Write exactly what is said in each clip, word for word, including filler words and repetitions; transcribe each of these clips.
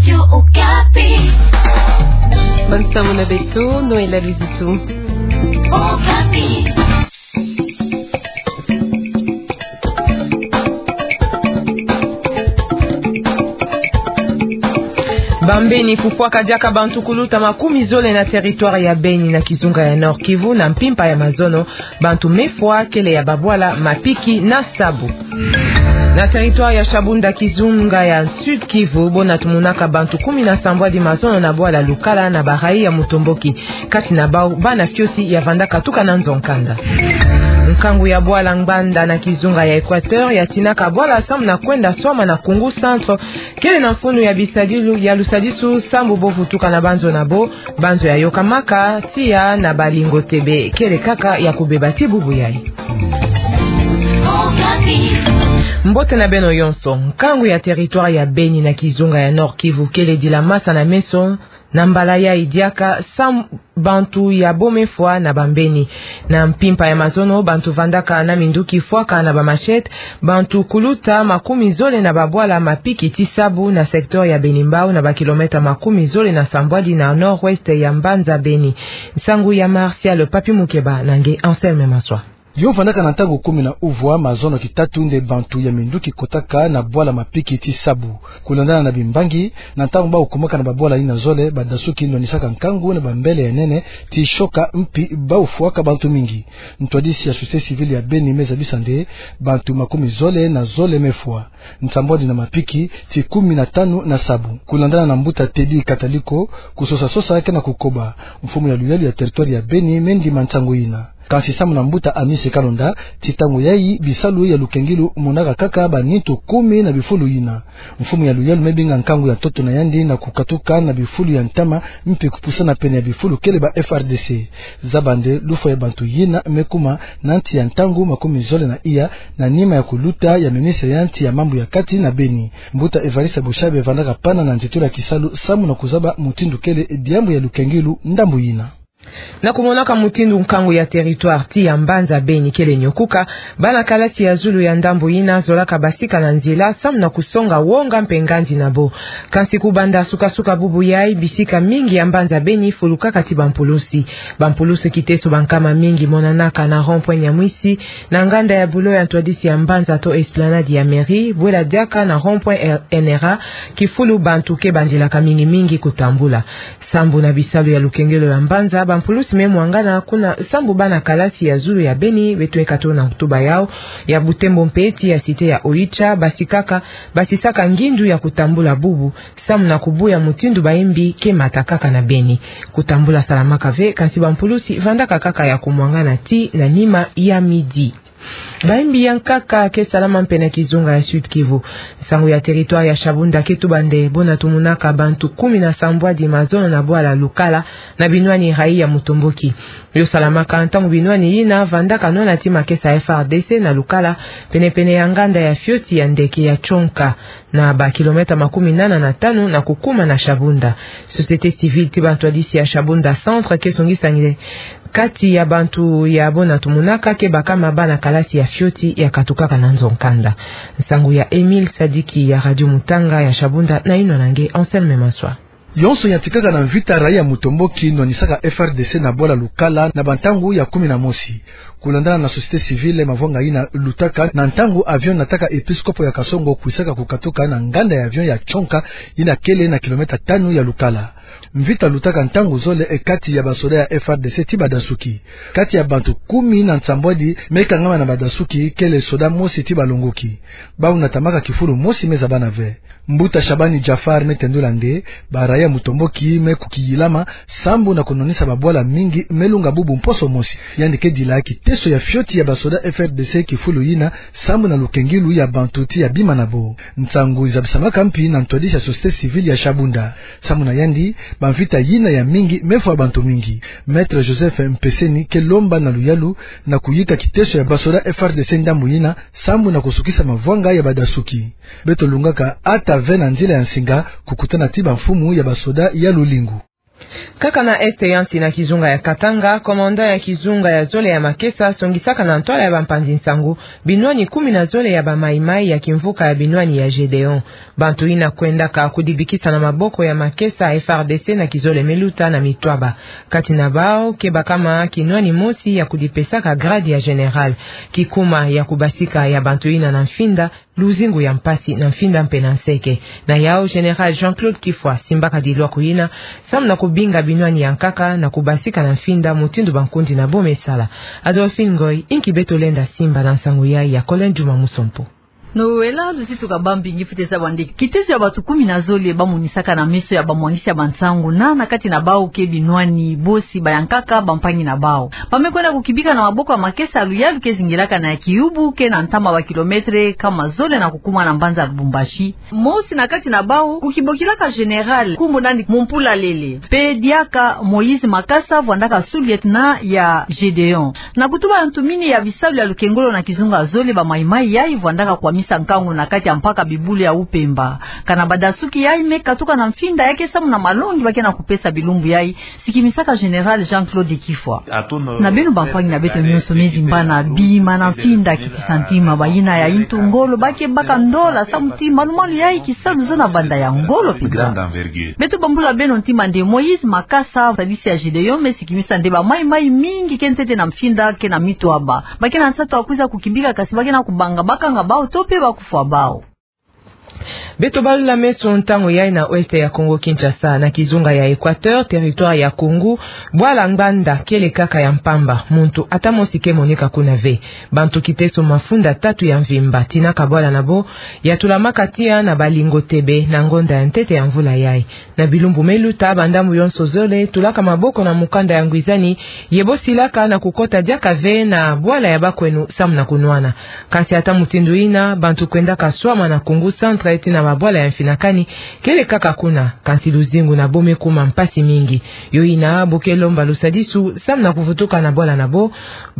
Radio Okapi. Bonne soirée na beto, Noëlla Luizitu. Okapi. Bambeni fufwaka diaka bantu kuluta makumi zole na territoire ya Beni na kizunga ya Nord-Kivu na mpimpa ya mazono, bantu mefwa kele ya babwala mapiki na sabu. Na territoire ya Shabunda, kizunga ya Sud-Kivu, bo natumunaka bantu kumi na sambwadi mazono na bwala Lukala na barai ya Mutomboki. Kati na bau, bana fioti ya vanda katuka na nzo nkanda. Nkangu ya bwala Ngbanda na kizunga ya Equateur ya tinaka bwala samu na kwenda swama na Koungou Centre, kele na mfunu ya bisadilu ya lusadisu samu bo vutuka na banzo na bo, banzo ya yokamaka tiya na balingo tebe, kele kaka ya kubeba ti bubu yayi. Mbote na beno yonso. Nkangu ya territoire ya Beni na kizunga ya Nord-Kivu kele dila masa na meso na mbala yayi diaka samu bantu ya bo mefwa na bambeni. Na mpimpa ya mazono, bantu vandaka na minduki fwaka na ba machette bantu kuluta makumi zole na babwala mapiki ti sabu na secteur ya Beni-Mbau, na ba kilomètre makumi zole na sambwadi na nord-ouest ya mbanza Beni. Nsangu ya Martial Papi Mukeba na nge Anselme Maswa. Yo vandaka na ntangu kumi na uvwa mazono kitatu nde bantu ya minduki kotaka na bwala mapiki ti sabu. Kulandana na bimbangi, na ntangu bau kumaka na babwala yina zole, badasuki nonisaka nkangu na bambele ya nene ti choc mpi bau fwaka bantu mingi. Ntwadisi ya société civile ya Beni me zabisa nde bantu makumi zole na zole mefwa, nsambwadi na mapiki ti kumi na tanu na sabu. Kulandana na mbuta Teddy Kataliko, kusosa-sosa ke na kukoba. Mfumu ya luyalu ya territoire ya Beni me ndima nsangu yina. Kansi samu na mbuta Amis Kalonda, ti ntangu yayi bisalu ya lukengilu monaka kaka banintu kumi na bifulu yina. Mfumu ya luyalu me binga nkangu ya ntoto na yandi na kukatuka na bifulu ya ntama, mpi kupusana pene ya bifulu kele ba F R D C. Zaba nde lufwa ya bantu yina me kuma na nti ya ntangu makumi zole na iya, na nima ya kuluta ya ministre ya nti ya mambu ya kati na Beni. Mbuta Evariste Bushai vandaka pana na nzitula kisalu samu na kuzaba mutindu kele diambu ya lukengilu ndambu yina. Na kumonaka mutindu nkangu ya territoire ti ya mbanza Beni kele nyokuka, bana kalasi ya zulu ya ndambu yina zolaka basika na nzila samu na kusonga wonga mpe ngandi na bo. Kansi kubanda suka-suka bubu yayi, bisika mingi ya mbanza Beni fulukaka ti bampulusi. Bampulusi kiteso bankama mingi monanaka na rond-point Nyamwisi, na nganda ya bulo ya ntwadisi ya mbanza to esplanade ya mairie, bwela diaka na rond-point N R A, kifulu bantu ke bandilaka mingi-mingi kutambula. Sambu na bisalu ya lukengelo ya mbanza, bampulusi me mwangana kuna sambu bana kalasi ya zulu ya Beni beto eka tona kutuba yao ya butembo mpe ti ya cité ya Oicha, basikaka, basisaka ngindu ya kutambula bubu, samu na kubuya mutindu bayimbi ke matakaka na Beni. Kutambula salamaka ve, kansi bampulusi vandaka kaka ya kumwangana ti na nima ya midi. Bayimbi ya nkaka ke salama mpe na kizunga ya Sud-Kivu. Nsangu ya territoire ya Shabunda ke tuba nde bo natumunaka bantu kumi na sambwadi mazono na bwala Lukala na binwani rayi ya Mutomboki. Yo salamaka ntangu binwani yina vandaka nwana ti makesa ya F R D C na Lukala, pene-pene ya nganda ya fioti ya ndeke ya Tchonka, na ba kilomètre makumi nana na tanu na kukuma na Shabunda. Société civile ti bantwadisi ya Shabunda Centre ke songisa nde kati ya bantu ya bo natumunaka ke bakama bana kalasi ya fioti ya katukaka na nzo nkanda. Nsangu ya Emile Sadiki ya Radio Mutanga ya Shabunda, na yinwa na nge Anselme Maswa. Yonso yantikaka na mvita, rayi ya Mutomboki nonisaka F R D C na bwala Lukala na bantangu ya kumi na mosi. Kulandana na société civile, mavwanga yina lutaka na ntangu avion nataka episkopo ya Kasongo kwisaka kukatuka na nganda ya avion ya Tchonka, yina kele na kilomètre tanu ya Lukala. Mvita lutaka ntangu zole e kati ya basoda ya F R D C ti badasuki. Kati ya bantu kumi na nsambwadi me kangama na badasuki, kele soda mosi ti balongoki. Bau natamaka kifulu mosi me zabana ve. Mbuta Shabani Jaffar me tendula nde barayi ya Mutomboki me kukiyilama sambu na kunonisa babwala mingi me lunga bubu mposo mosi. Yandi ke dila kiteso ya fioti ya basoda F R D C kifulu yina sambu na lukengilu ya bantu ti ya bima na bo. Nsangu izabisamaka mpi na ntwadisi ya société civile ya Shabunda. Sambu na yandi, bamvita yina ya mingi me fwa bantu mingi. Maître Joseph Mpeseni ke lomba na luyalu na kuyika kiteso ya basoda F R D C ndambu yina sambu na kusukisa mavwanga ya badasuki. Beto lungaka ata ve na nzila ya nsinga kukutana ti bamfumu ya basoda ya lulingu. Kaka na Est ya nsi, na kizunga ya Katanga, commandant ya kizunga ya zole ya makesa asongisaka na ntwala ya bampanzi-nsangu binwani kumi na zole ya ba Maï-Maï ya kimvuka ya binwani ya Gédéon. Bantu yina kwendaka kudibikisa na maboko ya makesa F R D C na kizole me luta na Mitwaba. Kati na bau, kebaka ma kinwani mosi ya kudipesaka grade ya général. Kikuma ya kubasika ya bantu yina na mfinda, luzingu ya mpasi na mfinda mpe na nseke. Na yau, Général Jean-Claude Kifwa asimbaka dilwaku yina samu na kubinga binwani ya nkaka na kubasika na mfinda mutindu bankundi na bo mesala. Adolphine Ngoy, inki beto lenda simba na nsangu yai ya Colin Juma Musompo. Noela, luzitu ka bambingi fwete zaba nde kitezo ya bantu kumi na zole bamonisaka na meso ya bamwangisi ya bansangu na, na kati na bau ke binwani bosi, bayankaka, bampangi na bau. Ba me kwenda kukibika na maboko ya makesa ya luyalu ke zingilaka na ya Kiyubu, ke na ntama ba kilometre kama zole na kukuma na mbanza Lubumbashi. Mosi na kati na bau, kukibokilaka général, nkumbu nani Mumpula Lele. Mpe diaka Moïse Makasa, vwandaka sous-lieutenant ya Gédéon. Na kutuba ya ntumini ya bisalu ya lukengolo na kizunga zole, ba Maï-Maï yai vwandaka kwamisa nkangu na kati ya mpaka Bibulu ya Upemba. Kana badasuki yai me katuka na mfinda ya ke samu na malongi ba ke na kupesa bilumbu yai, sikimisaka Général Jean-Claude Kifwa. Na beno bampangi na beto nyonso, me zimbana bima na mfinda, kitisa ntima. Bayina ya intu ngolo ba ke baka ndola samu ti malu-malu yai kisalu zona banda ya ngolo mpenza. Beto bambula beno ntima nde Moïse Makasa, sadisi ya Gédéon, me sikimisa nde ba Maï-Maï mingi ke ntete na mfinda ke na Mitwaba. Ba ke na nsatu ya kwiza kukibika, kansi ba ke na kubanga bakanga bau to mpe bakufwa bau. Beto balula meso ntangu yai na Ouest ya Congo-Kinshasa, na kizunga ya Équateur, territoire ya Koungou, bwala Ngbanda kele kaka ya mpamba, muntu ata mosi ke moneka kuna ve. Bantu kiteso mafunda tatu ya mvimba tina ka bwala na bo ya tulamaka tiya na balingo tebe na ngonda ya ntete ya mvula yai. Na bilumbu me luta, bandambu yonso zole tulaka maboko na mukanda ya ngwizani, ye bo silaka na kukota diaka ve na bwala ya bakwenu samu na kunwana. Kansi ata mutindu yina, bantu kwendaka swama na Koungou Centre tina mabwala ya mfinakani kele kaka kuna, kansi luzingu na bo me kuma mpasi mingi. Yo yina bo ke lomba lusadisu samu na kuvutuka na bwala na bo,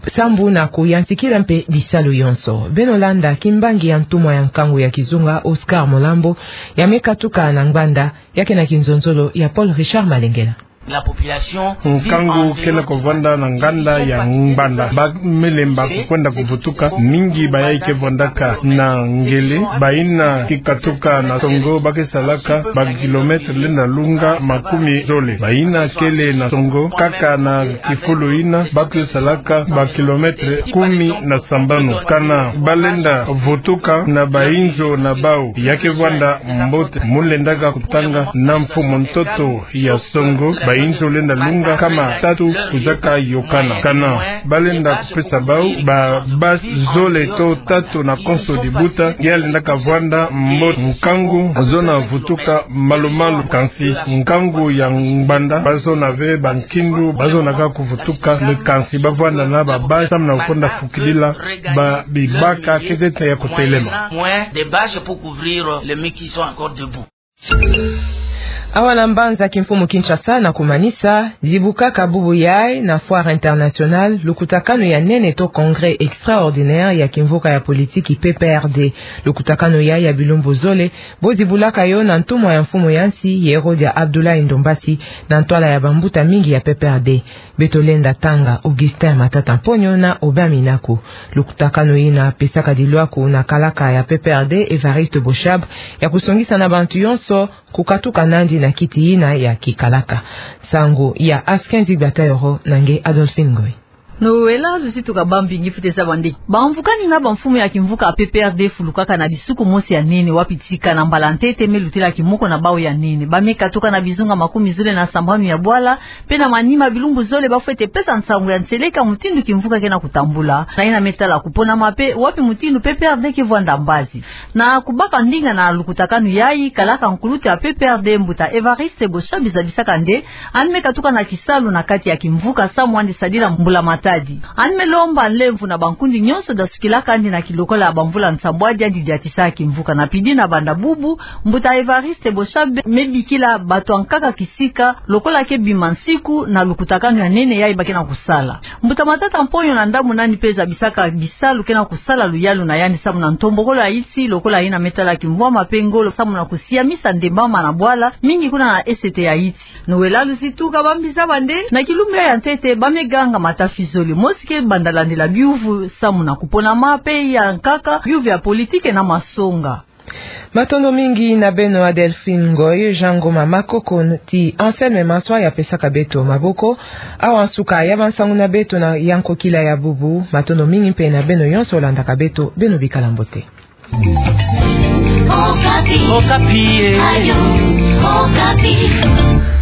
sambu na kuyantikila mpe bisalu yonso. Beno landa kimbangi ya ntumwa ya nkangu ya kizunga, Oscar Molambo, ya me katuka na Ngbanda, ya ke na kinzonzolo ya Paul Richard Malengela. Nkangu kele kuvwanda na nganda ya Ngbanda. Ba me lemba kukwenda kuvutuka. Mingi ba yai ke vwandaka na ngele. Bayina ke katuka na songo ba ke salaka ba kilometre lenda lunga makumi zole. Bayina kele na songo kaka na kifulu yina ba ke salaka ba kilometre kumi na sambanu. Kana ba lenda vutuka na bayinzo na bau, ya ke vwanda mbote, mu lendaka kutanga na mfumu ntoto ya songo, bayinzo lenda lunga kama tatu kwizaka yokana. Kana ba lenda kupesa bau ba base zole to tatu na konso dibuta, ya lendaka vwanda mbote. Nkangu zona vutuka malu-malu, kansi nkangu ya Ngbanda ba zona ve bankindu ba zonaka kuvutuka, mais kansi ba vwanda na ba base samu na kukwenda fukilila ba bibaka ke ntete ya kutelema. Awa na mbanza kimfumu Kinshasa, na kumanisa, zibukaka bubu yai na Foire Internationale lukutakanu ya nene to congrès extraordinaire ya kimvuka ya politiki P P R D. Lukutakanu yai ya bilumbu zole bo zibulaka yo na ntumwa ya mfumu ya nsi, Yerodia Abdoulaye Ndombasi, na ntwala ya bambuta mingi ya P P R D. Beto lenda tanga Augustin Matata Mponyo na Aubin Minaku. Lukutakanu yina pesaka dilwaku na kalaka ya P P R D, Évariste Boshab, ya kusongisa na bantu yonso kukatuka nandi na kiti yina ya kikalaka. Nsangu ya Askenzi Batayoro na nge Adolphine Ngoy. Noela, luzitu ka bambingi fwete zaba nde bamvukani na bamfumu ya kimvuka P P R D fulukaka na disuku mosi ya nene, wapi tika na mbala ntete me lutela kimoko na bau ya nene. Ba me katuka na bizunga makumi zole na sambanu ya bwala, mpe na manima bilumbu zole ba fwete pesa nsangu ya nseleka mutindu kimvuka ke na kutambula. Na yina me tala kuponama mpe wapi mutindu P P R D ke vwanda mbazi. Na kubaka ndinga na lukutakanu yai, kalaka nkulutu ya P P R D, mbuta Évariste Boshab, zabisaka nde yandi me katuka na kisalu na kati ya kimvuka samu yandi sadila mbulamatari. Adi. Yandi me lomba nlemvo na bankundi nyonso dasukilaka yandi na kilokola ya bamvula nsambwadi yandi diatisa kimvuka na pidi na banda bubu, mbuta Evariste Boshab me bikila bato ya nkaka kisika, lokola ke bima nsiku na lukutakanu ya nene yayi ba ke na kusala. Mbuta Matata Mponyo na ndambu na yandi pe zabisaka bisalu ke na kusala luyalu na yandi samu na ntombokolo ya insi, lokola yina me tala kimvwama pe ngolo samu na kusiamisa ndembama na bwala, mingi kuna na esete ya insi. Noëlla Luzituka bambi zaba nde, na kilumbu ya ntete, ba me ganga matafizole, mosi ke banda landila biuvu samu na kuponama pe ya nkaka, biuvu ya politike na masonga. Matondo mingi na beno Adelphine Ngoy, Jean Ngoma Makoko ti Anselme Maswa ya pesaka beto maboko. Awa nsuka ya bansangu na beto na ya nkokila ya bubu. Matondo mingi mpe na beno nyonso landaka beto, beno bikala mbote. Okapi. Okapi, eh. Radio Okapi.